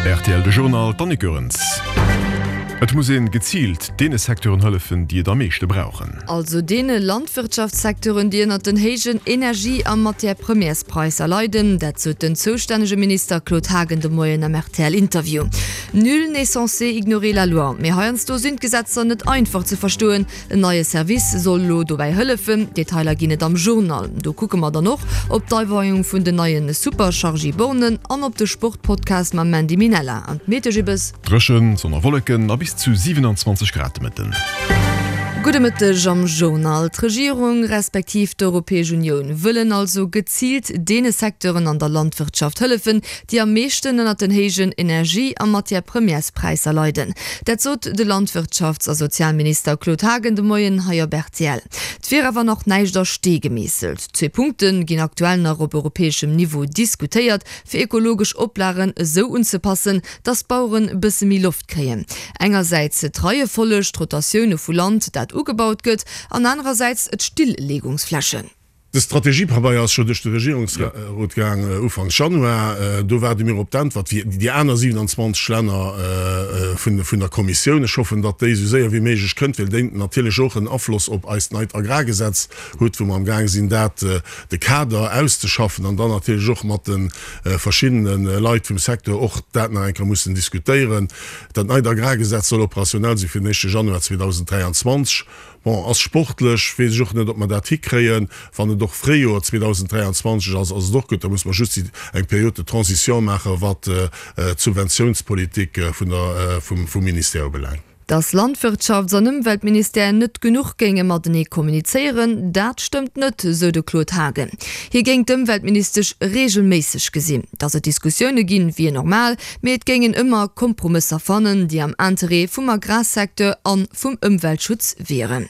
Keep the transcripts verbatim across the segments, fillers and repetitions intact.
Rtl de Journal, d'Annick Goerens. Et muss een geziilt deene Secteuren hëllefen, déi et am meeschte brauchen. Also deene Landwirtschaftssecteuren, déi ënnert den héijen Energie a Matière-premières-Präisser leiden, dat sot den zoustännege Minister Claude Haagen de Moien am R T L-Interview. Nul n'est censé ignorer la loi, mee heiansdo sinn d'Gesetzer net einfach ze verstoen. En neie Service soll elo dobäi hëllefen. Detailer ginn et am Journal. Do kucke mer dann och op d'Aweiung vun den neie Superchargy-Bornen an op de Sportpodcast mam Mandy Minella. An d'Metegibbes? Dréchen, Sonn a Wolleken a bis zu siewenundzwanzeg Grad de Mëtten. Gudde Mëtteg am Journal. D'Regierung respektiv d'Europäesch Unioun wëllen also geziilt deene Secteuren an der Landwirtschaft hëllefen, déi am meeschten ënnert den héijen Energie a Matière-premières-Präisser leiden. Dat sot de Landwirtschafts a Sozialminister Claude Haagen de Moien hei op R T L. Et wier awer nach näischt a Stee gemeesselt. Zwee Punkte ginn aktuell nach op europäeschem Niveau diskutéiert, fir ekologesch Oplagen esou unzepassen, dass d'Baueren e bësse méi Loft kréien. Engersäits d'Reiefolleg, d'Rotatioune vu Land, dat ugebaut gëtt, an anerersäits d'Stilllegungsflächen. De Strategiepabeier ass scho duerch de Regierungsrot gaang Ufanks Januar. Do waarde mir op d'Äntwert wéi déi aner siewenundzwanzeg Länner vun vun der Kommissioun. Ech hoffen, datt déi esou séier wéi méiglech kënnt, well déi natierlech och en Afloss op eist neit Agrargesetz huet, wou mer amgaang sinn, dat de Kader auszeschaffen an dann natierlech och mat de verschiddene Leit vum Secteur och dat nach eng Kéier mussen diskutéieren. Dat neit Agrargesetz soll operationell si fir den éischte Januar zweedausendräianzwanzeg. Bon, ass sportlech, weess ech och net, ob mer dat hikréien. Wann et och Fréijoer zweedausendräianzwanzeg ass, ass et och gutt. Da muss mer just eng Période de transition maachen, wat d'Subventiounspolitik vun der, vum, vum Ministère ubelaangt. Dass Landwirtschafts an Ëmweltministère net genuch géinge matenee kommunizéieren, dat stëmmt net, sou de Claude Haagen. Hie géing d'Ëmweltministesch reegelméisseg gesinn. Dass et Diskussioune ginn, wier normal, mee et géing een ëmmer Kompromësser fannen, déi am Interêt vum Agrarsecteur a vum Ëmweltschutz wieren.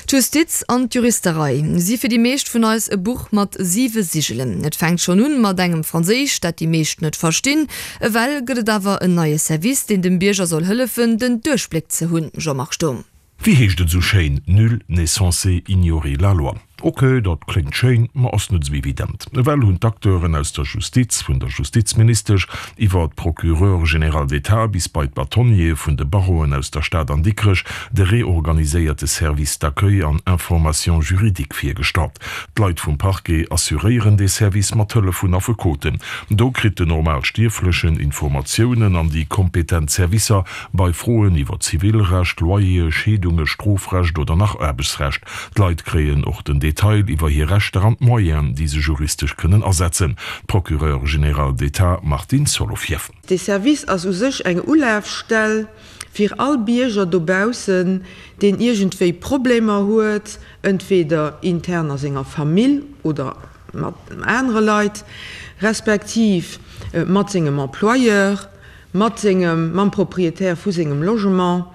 D'Justiz an d'Juristerei si fir déi meescht vun eis e Buch mat siwe Sigelen. Et fänkt schonn un mat engem Franséisch, dat déi meescht net verstinn. Ewell gëtt et awer en neie Service, deen dem Bierger soll hëllefen, den Duerchbléck ze hunn. Jean-Marc Sturm. Wéi heescht et esou schéin, Nul n'est censé ignorer la loi. Ok, dat kléngt schéin, ma ass net esou evident. Ewell hunn d'Acteuren aus der Justiz, vun der Justizministesch iwwer d'Procureure générale d'État bis bei d'Bâtonniere vun de Barreauen aus der Stad an Dikrech, de reorganiséierte Service d'accueil an information juridique virgestallt. D'Leit vum Parquet assuréieren dee Service mat Hëllef vun Affekoten. Do kritt den Normalstierflechen Informatiounen an déi kompetent Servicer bei Froen iwwer Zivilrecht, Loyere, Scheedunge, Strofrecht oder nach Aarbechtsrecht. D'Leit kréien och den Detail iwwer hir Rechter an d'Moyenen, déi se juristesch kënnen asetzen. D'Procureure générale d'État Martine Solovieff. Dee Service ass u sech eng Ulafstell fir all Bierger dobaussen, deen iergendwéi Problemer huet, entweder intern a senger Famill oder mat anere Leit, respektiv mat sengem Employeur, mat sengem, mam Propriétaire vu sengem Logement.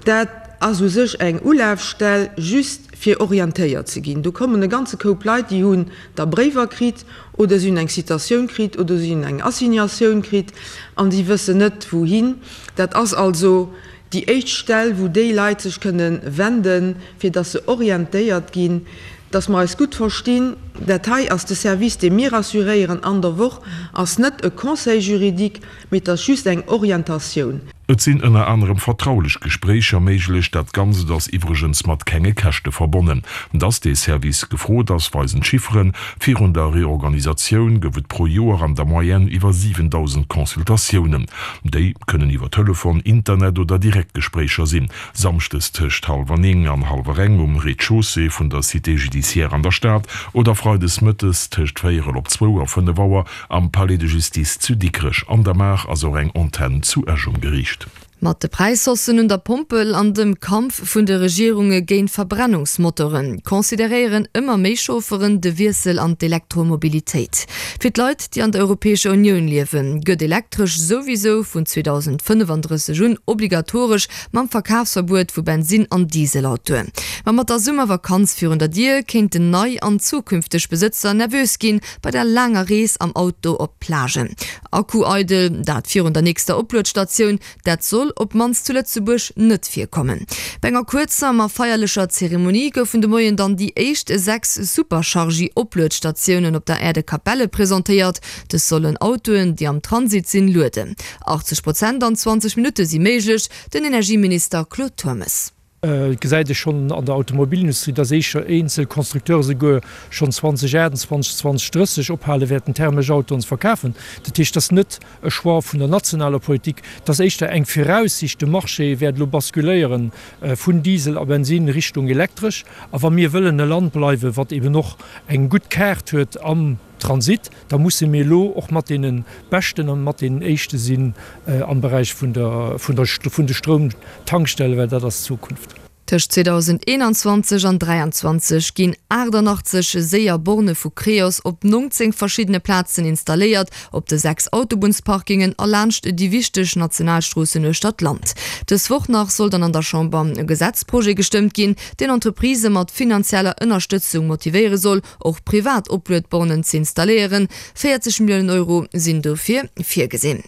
Dat ass u sech eng Ulafstell just fir orientéiert ze ginn. Do kommen e ganze Koup Leit, déi hunn da Bréiwer kritt oder si hunn eng Citatioun kritt oder si hunn eng Assignatioun kritt an si wëssen net wouhin. Dat ass also déi éischt Stell, wou déi Leit sech kënne wenden, fir datt se orientéiert ginn. Datt mer eis gutt verstinn, dat hei ass de Service, dee mir assuréieren an der Woch, ass net e Conseil juridique, mee et ass just eng Orientatioun. Et sinn ënner anerem vertraulech Gespréicher méiglech. Dat Ganzt ass iwwregens mat kenge Käschte verbonnen. Dass dee Service gefrot ass, weisen d'Chifferen, Virun der Reorganisatioun gouf et pro Joer an der Moyenne iwwer siwendausend Consultatiounen. Déi kënnen iwwer Telefon, Internet oder direkt Gespréicher sinn. Samschdes tëscht hallwer néng an hallwer eng um Rez-de-chaussée vun der Cité judiciaire an der Stad oder freides mëttes tëscht véierel op zwou a fënnef Auer am Palais de Justice zu Dikrech. An der Maach ass och eng Antenn zu Esch um Geriicht. Mat de Präishaussen un der Pompel an dem Kampf vun de Regierunge géint Verbrennungsmotoren consideréieren ëmmer méi Chaufferen de Wiessel an d'Elektromobilitéit. Fir d'Leit, déi an der Europäescher Unioun liewen, gëtt Elektresch souwisou vun zweedausendfënnefandrësseg un obligatoresch mam Verkafsverbuet vu Bensin an Dieselautoen. Ma mat der Summervakanz virun der Dier kéinten nei an zukünfteg Besëtzer nervös ginn bei der laanger Rees am Auto op d'Plage. Akku eidel, dat virun der nächster Opluetstatioun, dat soll soll op d'mannst zu Lëtzebuerg net virkommen. Bei enger kuerzer, ma feierlecher Zeremonie goufen de Moien dann déi éischt sechs Superchargy-Opluetstatiounen op der Aire de Capelle presentéiert. Dës sollen Autoen, déi am Transit sinn, lueden. achtzeg Prozent an zwanzeg Minutte si méiglech, den Energieminister Claude Turmes. Et gesäit ee schonn an der Automobilindustrie, dass éischer eenzel Constructeure souguer schonn zweedausendachtundzwanzeg, zweedausendrësseg ophale wäerten, thermesch Autoen ze verkafen. Dat heescht, et ass net e Choix vun der nationaler Politik, et ass éischter eng Viraussicht, de Marché wäert elo basculéiere vun Diesel a Bensinn Richtung elektresch. A wa mir wëllen e Land bleiwen, wat eben och eng gutt Kaart huet am Transit, da musse mir elo och mat deene Beschten a mat deenen Éischte sinn am Beräich vun der, vun der, vun de Stroumtankstellen, well dat ass d'Zukunft. Tëscht zweedausendeenanzwanzeg an dräianzwanzeg ginn achtannachtzeg séier Borne vu Creos op nongzéng verschiddene Plazen installéiert, op de sechs Autobunnsparkingen a laanscht déi wichteg Nationalstroossen uechter d'Land. Dës Woch nach soll dann an der Chamber e Gesetzprojet gestëmmt ginn, deen Entreprisë mat finanzieller Ënnerstëtzung motivéiere soll, och privat Opluedbornen ze installéieren. véierzeg Milliounen Euro sinn dofir virgesinn.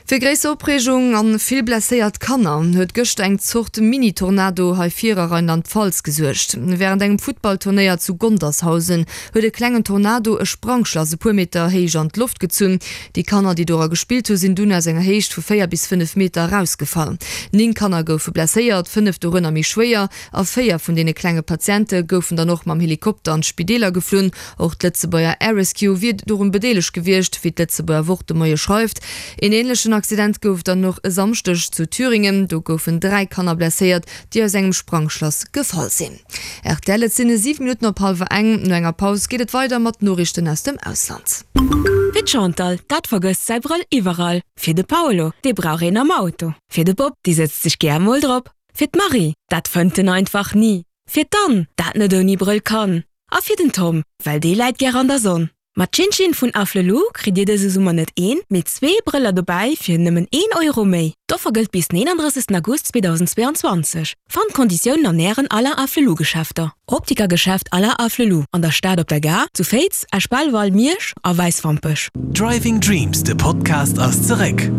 Fir gréisser Opreegung an vill blesséiert Kanner huet gëschter eng Zort Mini-Tornado hei vir a Rheinland-Pfalz gesuergt. Wärend engem Futtballturnéier zu Gondershausen huet e klengen Tornado e Sprangschlass e puer Meter héich an d'Loft gezunn. Déi Kanner, déi dora gespillt hu sinn dunn aus enger Héicht vu véier bis fënnef Meter erausgefall. Néng Kanner goufe blesséiert, fënnef dorënner méi schwéier, a véier vun deene klenge Patiente goufen dann och mam Helikopter an d'Spideeler geflunn. Och d'Lëtzebuerger Air Rescue wier dorun bedeelegt gewiescht, wéi d'Lëtzebuerger Wort de Moie schreift. Een änlechen Accident gouf et dann och e Samschdeg zu Thüringen. Do goufen dräi Kanner blesséiert, déi aus engem Sprangschlass gefall sinn. Rtl, Et sinn siwe Minutten op hallwer eng. No enger Paus geet et weider mat Noriichten aus dem Ausland. Fir d'Chantal, dat vergësst säi Brëll iwwerall. Fir de Paolo, dee brauch een am Auto. Fir de Bob, dee sëtzt sech gär mol drop. Fir d'Marie, dat fënnt en einfach ni. Fir d'Anne, dat net ouni Brëll kann. A fir den Tom, well dee läit gär an der Sonn. Mat Chinchin vun Afflelou kritt Dir dëse Summer net een, mee zwee Brëller dobäi fir nëmmen een Euro méi. D'Offer gëllt bis den eenandrëssegsten August zweedausendzweeanzwanzeg. Fannt d'Konditiounen an Ären Alain Afflelou Geschäfter. Optikergeschäft Alain Afflelou an der Stad op der Gare, zu Féiz, Esch-Belval, Miersch a Wäiswampech. Driving Dreams, de Podcast ass zeréck!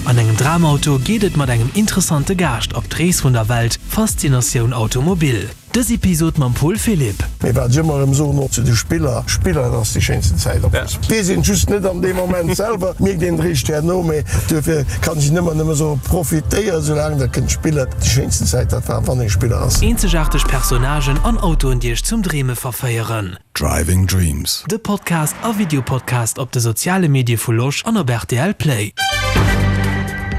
An engem Dramauto geet et mat engem interessante Gaascht op d'Rees vun der Welt, Faszinatioun Automobil. Dës Episod mam Paul Philipp. Mee wat ech ëmmer erëm soen, och zu de Spiller, Spiller, dat ass déi schéinsten Zäit am Fussball. Weess een just net an deem Moment selwer, mierkt een eréischt herno. Mee duerfir kann ech ëmmer nëmme soen, profitéiert esou laang der kënnt spillen. Déi schéinsten Zäit, dat war wann ee Spiller ass. Eenzegaarteg Personnagen an Autoen, déi iech zum Dreeme verféieren. Driving Dreams. De Podcast a Videopodcast op de soziale Medie vu Losch an op rtl Play.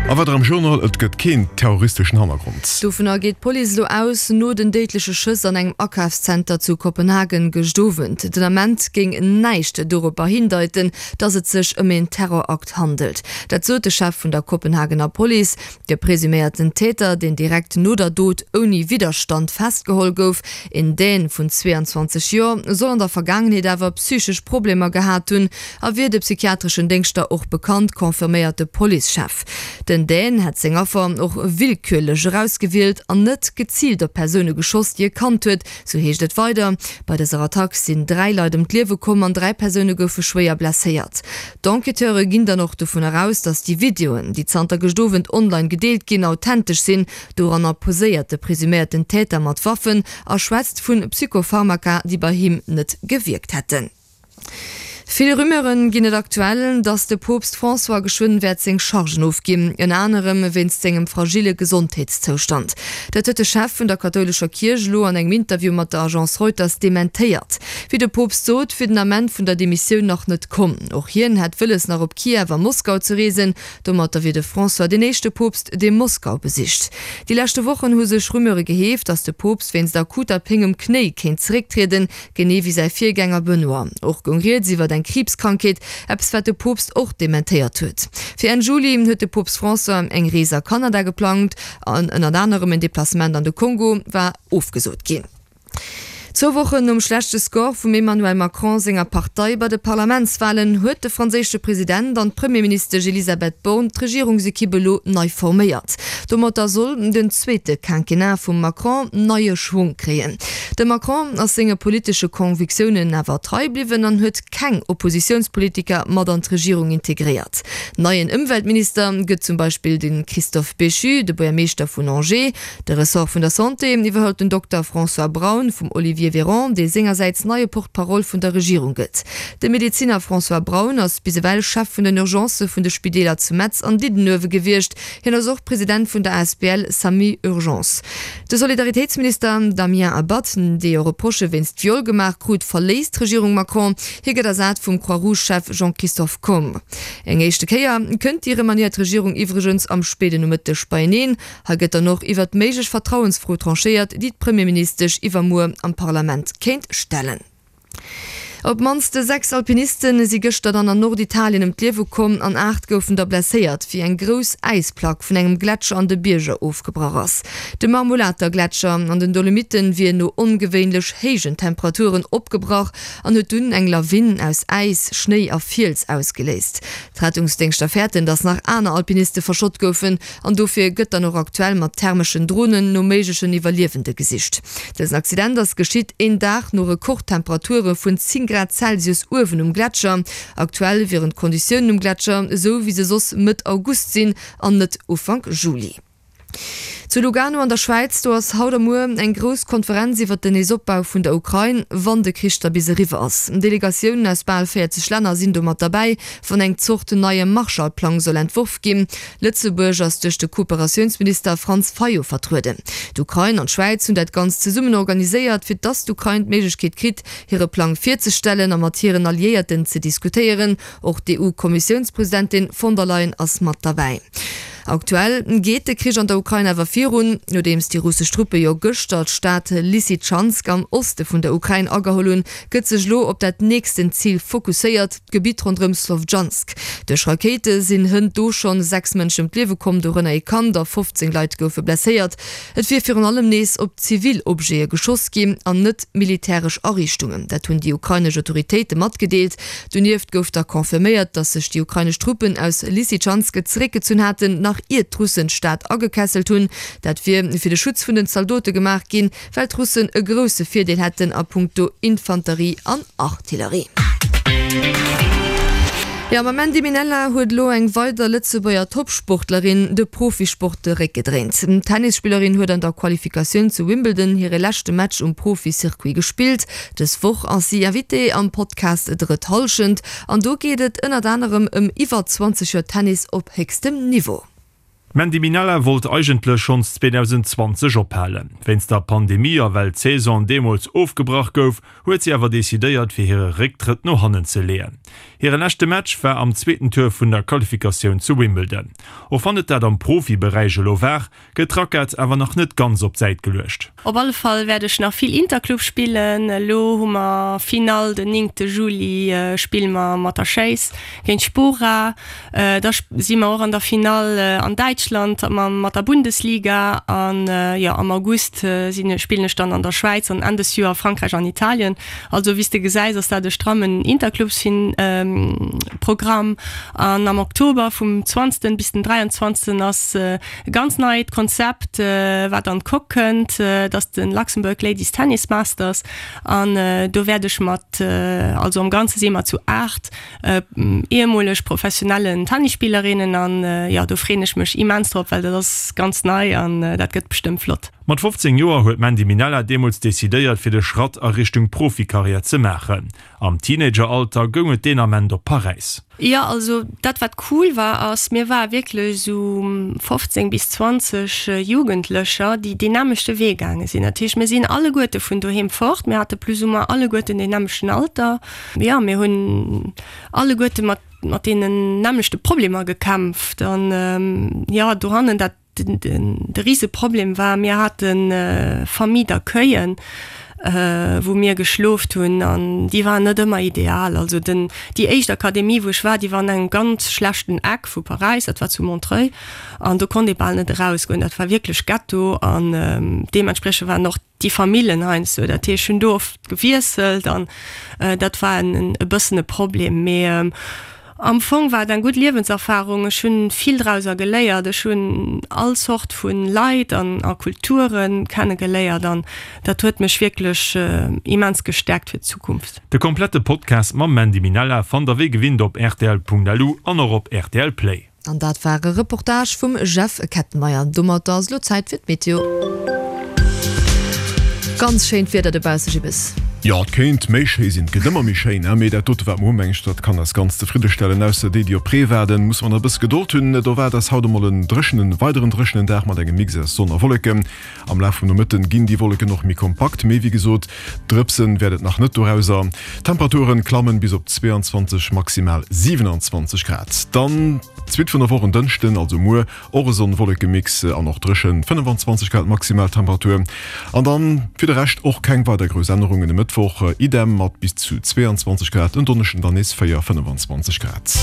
A weider am Journal, Et gëtt keen terroristeschen Hannergrond. Dovunner geet d'Police elo aus, no den déidleche Schëss an engem Akafszenter zu Kopenhagen gëscht Owend. Den Ament géing näischt doropper hindeiten, datt et sech ëm een Terrorakt handelt. Dat sot de Chef vun der Kopenhagener Police. De presuméierten Täter, deen direkt no der Dot ouni Widderstand festgeholl gouf, een Dän vun zweeanzwanzeg Joer, soll an der Vergaangenheet awer psychesch Problemer gehat hunn a wier de psychiatreschen Déngschter och bekannt, confirméiert de Policechef. Den Dän hätt seng Affer och willkürlech erausgewielt an net geziilt op Persoune geschoss, déi e kannt huet, sou heescht et weider. Bei dëser Attack sinn dräi Leit ëm d'Liewe komm an dräi Persoune goufe schwéier blesséiert. D'Enquêteure ginn dann och dovunner aus, datt déi Videoen, déi zanter gëscht Owend online gedeelt ginn, authentesch sinn. Doranner poséiert de presuméierten Täter mat Waffen a schwätzt vu Psychopharmaka, déi bei him net gewierkt hätten. Vill Rumeure ginn et aktuell, datt de Poopst François geschwënn wäert seng Chargen ofginn, ënner anerem wéinst sengem fragille Gesondheetszoustand. Dat huet de Chef vun der kathoulescher Kierch elo an engem Interview mat der Agence Reuters dementéiert. Wéi de Poopst sot, wier den Ament vun der Demissioun nach net komm. Och hien hätt wëlles nach op Kiew a Moskau ze reesen. Domatter wier de François deen éischte Poopst, dee Moskau besicht. Déi leschte Wochen hu sech Rumeure geheeft, datt de Poopst wéinst akuter Péng um Knéi kéint zerécktrieden, genee wéi säi Virgänger Benoît. Och goung rieds iwwer eng Kriibskrankheet, eppes wat de Poopst och dementéiert huet. Fir Enn Juli huet de Poopst François eng Rees a Kanada geplangt, an ënnert anerem en Deplacement an de Kongo war ofgesot ginn. Zwou Wochen nom schlechte Score vum Emmanuel Macron senger Partei bei de Parlamentswalen huet de franséische President an d'Premierministesch Elisabeth Borne d'Regierungsekipp elo nei forméiert. Domatter soll den zweete Quinquennat vum Macron neie Schwong kréien. De Macron ass senge politesche Convictiounen awer trei bliwwen an huet keng Oppositiounspolitiker mat an d'Regierung integréiert. Neien Ëmweltminister gëtt zum Beispill de Christophe Béchu, de Buergermeeschter vun Angers. De Ressort vun der Santé iwwerhëlt den Dokter François Braun vum Olivier Véran, dee sengersäits neie Porte-parole vun der Regierung gëtt. De Medeziner François Braun ass bis ewell Chef vun den Urgencë vun de Spideeler zu Metz an Diddenuewe gewiescht. Hien ass och President vun der asbl Samu Urgence. De Solidaritéitsminister Damien Abad, dee jo Reprochë wéinst Viol gemaach krut, verléisst d'Regierung Macron. Hie gëtt ersat vum Croix-Rouge-Chef Jean-Christophe Combe. Eng éischte Kéier kënnt déi remaniéiert Regierung iwwregens am spéiden Nomëtteg beieneen. Hei gëtt dann och iwwert méiglech Vertrauensfro tranchéiert, déi d'Premierministesch iwwermuer am Parlament kéint stellen. Op d'mannst sechs Alpiniste si gëschter dann an Norditalien ëm d'Liewe komm an aacht goufen der blesséiert, wéi eng grouss Äisplack vun engem Gletscher an de Bierger ofgebrach ass. De Marmolata-Gletscher an den Dolomitten wier no ongewéinlech héijen Temperaturen opgebrach an huet dunn eng Lawin aus Äis, Schnéi a Fiels ausgeléist. D'Rettungsdéngschter fäerten, datt nach aner Alpiniste verschott goufen an dofir gëtt dann och aktuell mat thermeschen Dronen no méiglechen Iwwerliewende gesicht. Dësen Accident ass geschitt een Dag no Rekordtemperature vun zéng Grad Celsius uewen um Gletscher. Aktuell wieren d'Konditiounen um Gletscher esou wéi se soss Mëtt August sinn an net Ufank Juli. Zu Lugano an der Schwäiz, do ass haut a muer eng grouss Konferenz iwwert den Neesopbau vun der Ukrain, wann de Krich da bis eriwwer ass. Delegatiounen aus bal véierzeg Länner sinn do mat derbäi, wann eng Zort neie Marshallplang soll entworf ginn. Lëtzebuerg ass duerch de Kooperatiounsminister Franz Fayot vertrueden. D'Ukrain an d'Schwäiz hunn dat Ganzt zesummen organiséiert, fir dass d'Ukrain d'Méiglechkeet kritt, hire Plang virzestellen a mat hiren Alliéierten ze diskutéieren. Och d'EU-Kommissiounspresidentin von der Leyen ass mat derbäi. Aktuell geet de Krich an der Ukrain awer virun. Nodeems déi russesch Truppe jo gëschter d'Stad Lysychansk am Oste vun der Ukrain ageholl hunn, gëtt sech elo op dat nächsten Zil fokusséiert, d'Gebitt ronderëm Slowjansk. Duerch Rakéite sinn hënt do schonn sechs Mënschen ëm d'Liewe komm, dorënner ee Kand, a fofzéng Leit goufe blesséiert. Et wier virun allem nees op zivil Objete geschoss ginn an net militäresch Ariichtungen. Dat hunn déi ukrainesch Autoritéite matgedeelt. Donieft gouf da confirméiert, datt sech déi ukrainesch Truppen aus Lysychansk zeréckgezunn haten, nach ier d'Russen d'Stad agekesselt hunn. Dat wier fir de Schutz vun den Zaldote gemaach ginn, well d'Russen e grousse Virdeel hätten a puncto Infanterie an Artillerie. Jo, mam Mandy Minella huet elo eng weider Lëtzebuerger Toppsportlerin de Profisport de Réck gedréint. D'Tennisspillerin huet an der Qualifikatioun zu Wimbledon hire leschte Match um Profi-Circuit gespillt. Dës Woch ass si Invitée am Podcast Drëtt Hallschent an do geet et ënnert anerem ëm iwwer zwanzeg Joer Tennis op héchstem Niveau. D'Mandy Minella wollt eigentlech schonns zweedausendzwanzeg ophalen. Wéinst der Pandemie a well d'Saison deemools ofgebrach gouf, huet si awer decidéiert fir hire Récktrëtt no hannen ze leeën. Hire leschte Match war am zweeten Tour vun der Qualifikatioun zu Wimbledon. Och wann et dat am Profiberäich elo war, gëtt d'Rackett awer nach net ganz op d'Säit geluecht. Op alle Fall wäert ech nach vill Interclub spillen. Elo hu mer Finall den néngte Juli spille mer mat der Schéiss géint Spora. Da si mer och an der Finall an Däitschland mat der Bundesliga an jo am August sinn spillen ech dann an der Schwäiz an Enn des Joer Frankräich an Italien. Also wéi s de gesäis ass dat e strammen Interclubsprogramm an am Oktober vum zwanzegsten bis den dräianzwanzegsten ass e ganz neit Konzept wat an d'Coque kënnt, dat ass de Luxembourg Ladies Tennis Masters an do wäert ech mat, also am Ganze si mer zu aacht ehemoleg professionellen Tennisspillerinnen an jo do freeën ech mech immens drop, well dat ass ganz nei an dat gëtt bestëmmt flott. Mat fofzéng Joer huet d'Mandy Minella deemools decidéiert fir de Schratt a Richtung Profikarriär ze maachen. Am Teenageralter goung et deen Ament op Paräis. Jo, also dat wat cool war ass, mir ware wierklech esou fofzéng bis zwanzeg Jugendlecher, déi deen nämmlechte Wee gaange sinn. Dat heescht, mir sinn alleguerte vun doheem fort, mir hate plus ou moins alleguerten deen nämmlechten Alter. Jo, mir hunn alleguerte mat mat deenen nämmlechte Problemer gekämpft an jo, dohannen dat de Riseproblem war, mir hate Famille d'accueillen wou mir geschloft hunn an déi waren net ëmmer ideal. Also den, déi éischt Akademie wou ech war, déi war an engem ganz schlechten Eck vu Paräis, dat war zu Montreuil an do konnt ee bal net erausgoen, dat war wierklech Ghetto an deementspriechend waren och déi Famillen heiansdo, dat heescht ech hunn do oft gewiesselt an dat war en e bëssen e Problem. Mee am Fong war et eng gutt Liewenserfarung, ech hunn vill drauser geléiert, ech hunn all Zort vu Leit an a Kulture kenne geléiert an dat huet mech wierklech immens gestäerkt fir d'Zukunft. De komplette Podcast mam Mandy Minella fannt der wéi gewinnt op rtl.lu an och op rtl Play. An dat war e Reportage vum Jeff Kettenmeyer. Domatter ass elo Zäit fir d'Meteo. Ganz schéint Wieder dobausse, Gibbes. Jo, et kéint méi schéi sinn, et gëtt ëmmer méi schéin, mee dat dote wat mer hunn, meng ech, dat kann eis ganz zefriddestellen. Ausser déi, déi op Ree waarden, musse mer nach e bësse Gedold hunn. Et erwaart eis haut emol en dréchenen, weideren dréchenen Dag mat engem Mix aus Sonn a Wolleken. Am Laf vum Nomëtten ginn déi Wolleken och méi kompakt, mee wéi gesot, Drëpsen wäert et nach net dorauser. D'Temperaturen klammen bis op zweiundzwanzeg, maximal siewenundzwanzeg Grad. Dann d'Suite vun der Woch en Dënschden, also muer, och e Sonn-Wolleke-Mix an och dréchen, fënnefan-zwanzeg Grad Maximaltemperatur. An dann fir de Rescht och keng weider grouss Ännerungen. E Mëttwoch idem mat bis zu zweeanzwanzeg Grad, en Donneschden dann nees véier, fënnefan-zwanzeg Grad.